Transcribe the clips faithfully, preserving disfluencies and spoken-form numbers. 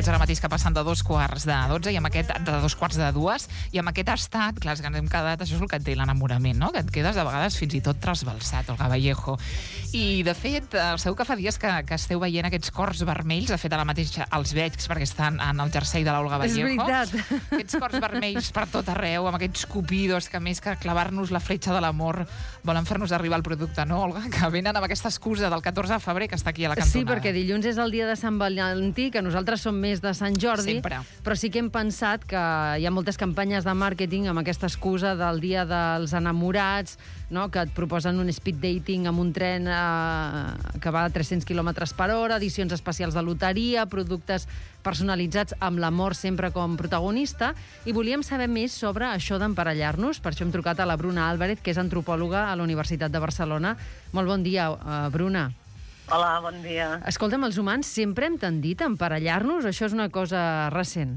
minuts ara mateix que passen de dos quarts de dotze i amb aquest, de dos quarts de dues, i amb aquest estat, clar, que ens hem quedat, això és el que et té l'enamorament, no? Que et quedes de vegades fins i tot trasbalsat, Olga Vallejo. I, de fet, segur que fa dies que, que esteu veient aquests cors vermells, de fet, ara mateix els veig perquè estan en el jersei de l'Olga Vallejo. És veritat. Aquests cors vermells per tot arreu, amb aquests cupidos que més que clavar-nos la fletxa de l'amor volen fer-nos arribar al producte, no, Olga? Que venen amb aquesta excusa del catorze de febrer que està aquí a la cantonada. Sí, perquè dilluns és el dia de Sant Valentí, que nosaltres som més de Sant Jordi, Sempre. però sí que hem pensat que hi ha moltes campanyes de màrqueting amb aquesta excusa del dia dels enamorats, no? Que et proposen un speed dating amb un tren eh, que va a tres-cents quilòmetres per hora, edicions especials de loteria, productes personalitzats amb l'amor sempre com protagonista, i volíem saber més sobre això d'emparellar-nos. Per això hem trucat a la Bruna Álvarez, que és antropòloga a la Universitat de Barcelona. Molt bon dia, uh, Bruna. Hola, bon dia. Escolta'm, els humans sempre hem tendit a emparellar-nos o això és una cosa recent?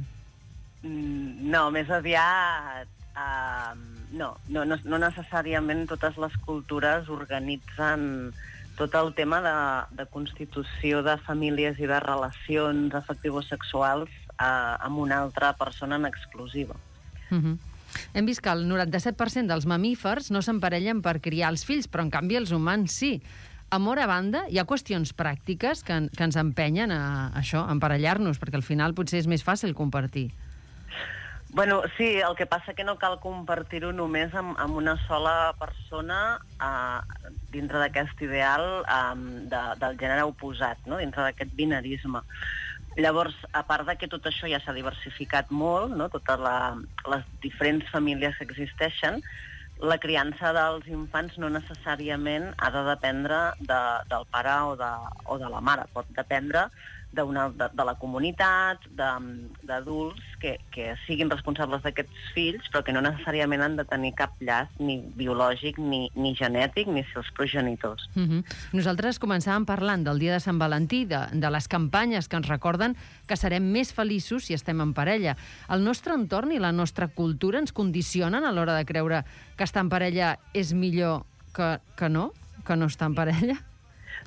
Mm, no, més aviat... Uh, no, no, no, no necessàriament totes les cultures organitzen tot el tema de, de constitució de famílies i de relacions afectivo-sexuals uh, amb una altra persona en exclusiva. Uh-huh. Hem vist que el noranta-set per cent dels mamífers no s'emparellen per criar els fills, però en canvi els humans sí. Amor a banda, hi ha qüestions pràctiques que, que ens empenyen a, a això, a emparellar-nos, perquè al final potser és més fàcil compartir. Bueno, sí, el que passa que no cal compartir-ho només amb, amb una sola persona uh, dintre d'aquest ideal um, de, del gènere oposat, no? Dintre d'aquest binarisme. Llavors, a part de que tot això ja s'ha diversificat molt, no? Totes la, les diferents famílies que existeixen, la criança dels infants no necessàriament ha de dependre de, del pare o de, o de la mare. Pot dependre de, una, de, de la comunitat, d'adults que, que siguin responsables d'aquests fills, però que no necessàriament han de tenir cap llaç ni biològic, ni, ni genètic, ni seus progenitors. Uh-huh. Nosaltres començàvem parlant del dia de Sant Valentí, de, de les campanyes que ens recorden que serem més feliços si estem en parella. El nostre entorn i la nostra cultura ens condicionen a l'hora de creure que estar en parella és millor que, que no? Que no estar en parella?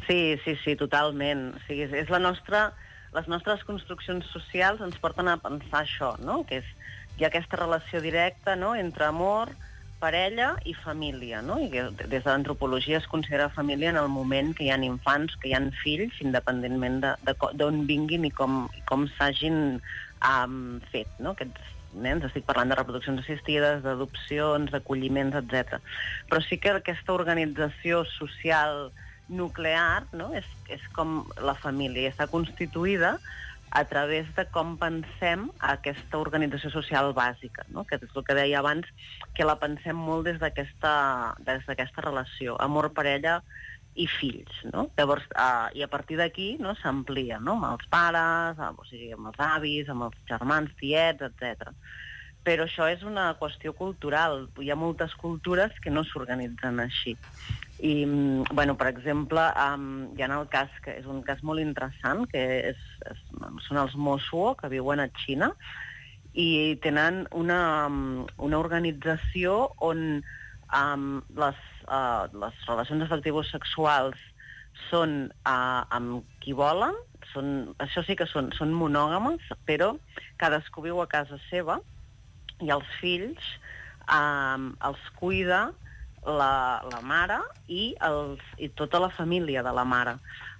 Sí, sí, sí, totalment. O sigui, és, és la nostra, les nostres construccions socials ens porten a pensar això, no? Que és, hi ha aquesta relació directa, no?, entre amor, parella i família, no? I que des de l'antropologia es considera família en el moment que hi ha infants, que hi ha fills, independentment d'on vinguin i com, com s'hagin um, fet, no? Aquests nens, estic parlant de reproduccions assistides, d'adopcions, d'acolliments, etcètera. Però sí que aquesta organització social nuclear, no?, és, és com la família, i està constituïda a través de com pensem aquesta organització social bàsica, no?, que és el que deia abans, que la pensem molt des d'aquesta des d'aquesta relació, amor, parella i fills, no? Llavors, uh, i a partir d'aquí, no, s'amplia, no?, amb els pares, amb, o sigui, amb els avis, amb els germans, tiets, etcètera. Però això és una qüestió cultural. Hi ha moltes cultures que no s'organitzen així. I, bueno, per exemple, um, hi ha el cas, que és un cas molt interessant, que és, és, són els Mosuo, que viuen a Xina, i tenen una, una organització on um, les, uh, les relacions afectivo-sexuals són uh, amb qui volen, són, això sí que són, són monògames, però cadascú viu a casa seva, i els fills um, els cuida la, la mare i, els, i tota la família de la mare.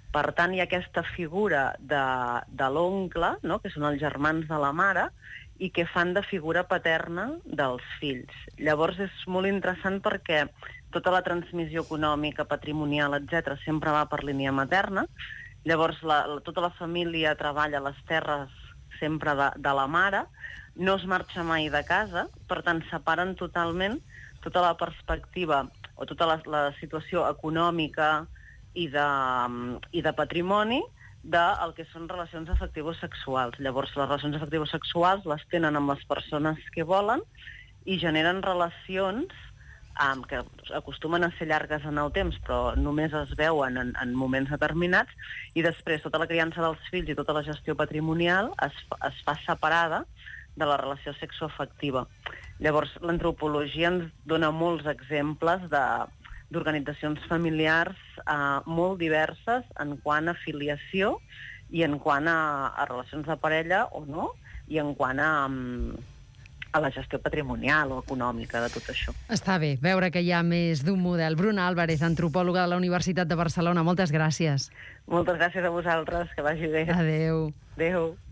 Per tant, hi ha aquesta figura de, de l'oncle, no?, que són els germans de la mare, i que fan de figura paterna dels fills. Llavors és molt interessant perquè tota la transmissió econòmica, patrimonial, etcètera, sempre va per línia materna. Llavors la, la, tota la família treballa a les terres sempre de, de la mare, no es marxa mai de casa, per tant separen totalment tota la perspectiva o tota la, la situació econòmica i de, i de patrimoni del que són relacions afectivo-sexuals. Llavors les relacions afectivo-sexuals les tenen amb les persones que volen i generen relacions um, que acostumen a ser llargues en el temps, però només es veuen en, en moments determinats, i després tota la criança dels fills i tota la gestió patrimonial es, es fa separada de la relació sexoafectiva. Llavors, l'antropologia ens dona molts exemples de, d'organitzacions familiars eh, molt diverses en quant a filiació i en quant a, a relacions de parella o no, i en quant a, a la gestió patrimonial o econòmica de tot això. Està bé, veure que hi ha més d'un model. Bruna Álvarez, antropòloga de la Universitat de Barcelona, moltes gràcies. Moltes gràcies a vosaltres, que vagi bé. Adéu. Adéu.